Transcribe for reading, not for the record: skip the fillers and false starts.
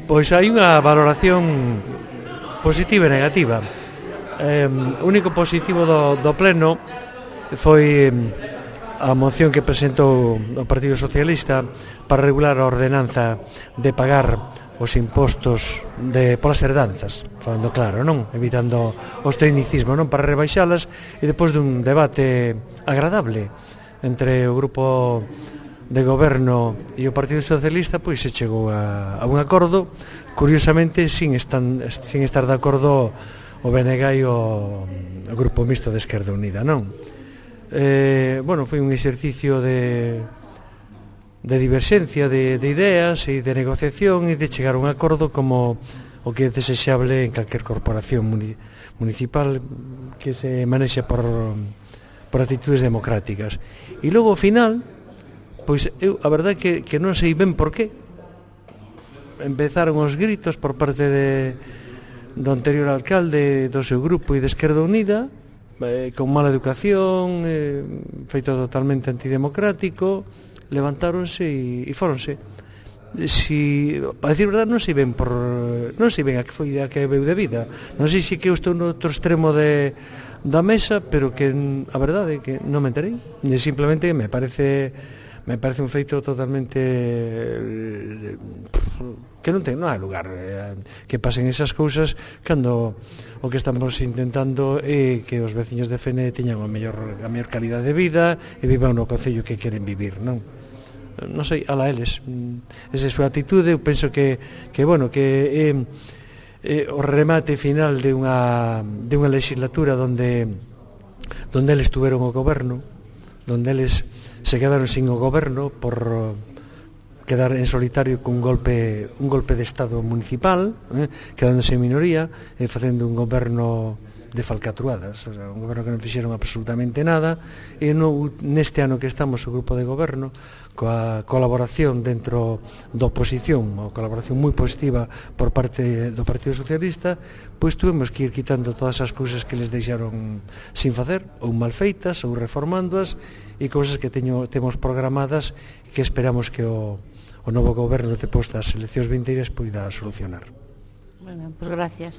Pois hai unha valoración positiva e negativa. O único positivo do pleno foi a moción que presentou o Partido Socialista para regular a ordenanza de pagar os impostos polas herdanzas, falando claro, non? Evitando os tecnicismos, non? Para rebaixalas, e depois dun debate agradable entre o grupo de goberno e o Partido Socialista, pois se chegou a un acordo, curiosamente sin estar de acordo o BNG e o Grupo Mixto de Esquerda Unida, non? Bueno, foi un exercicio de diverxencia de ideas e de negociación e de chegar a un acordo como o que é desexable en calquer corporación municipal que se manexa por actitudes democráticas. E logo, ao final, pois eu, a verdade que non sei ben por qué empezaron os gritos por parte do anterior alcalde, do seu grupo e de Esquerda Unida, con mala educación, feito totalmente antidemocrático. Levantáronse e fóronse. Para decir verdade, non sei ben a que foi a que veu de vida. Non sei se que eu estou no outro extremo da mesa, pero que a verdade é que non me enterei. Simplemente me parece un feito totalmente que non hai lugar que pasen esas cousas cando o que estamos intentando é que os veciños de Fene teñan a mellor calidade de vida e vivan no concello que queren vivir, non sei, ala eles, esa é a súa atitude. Eu penso que bueno, que é o remate final de unha legislatura onde eles tuveron o goberno, onde eles se quedaron sin o goberno por quedar en solitario cun golpe de estado municipal, quedándose en minoría e facendo un goberno de falcatruadas, un goberno que non fixeron absolutamente nada. E neste ano que estamos o grupo de goberno, coa colaboración dentro da oposición, a colaboración moi positiva por parte do Partido Socialista, pois tuvemos que ir quitando todas as cousas que les deixaron sin facer, ou mal feitas, ou reformándoas, e cousas que temos programadas que esperamos que o novo goberno depois das eleccións vindeiras poida solucionar. Bueno, pois gracias.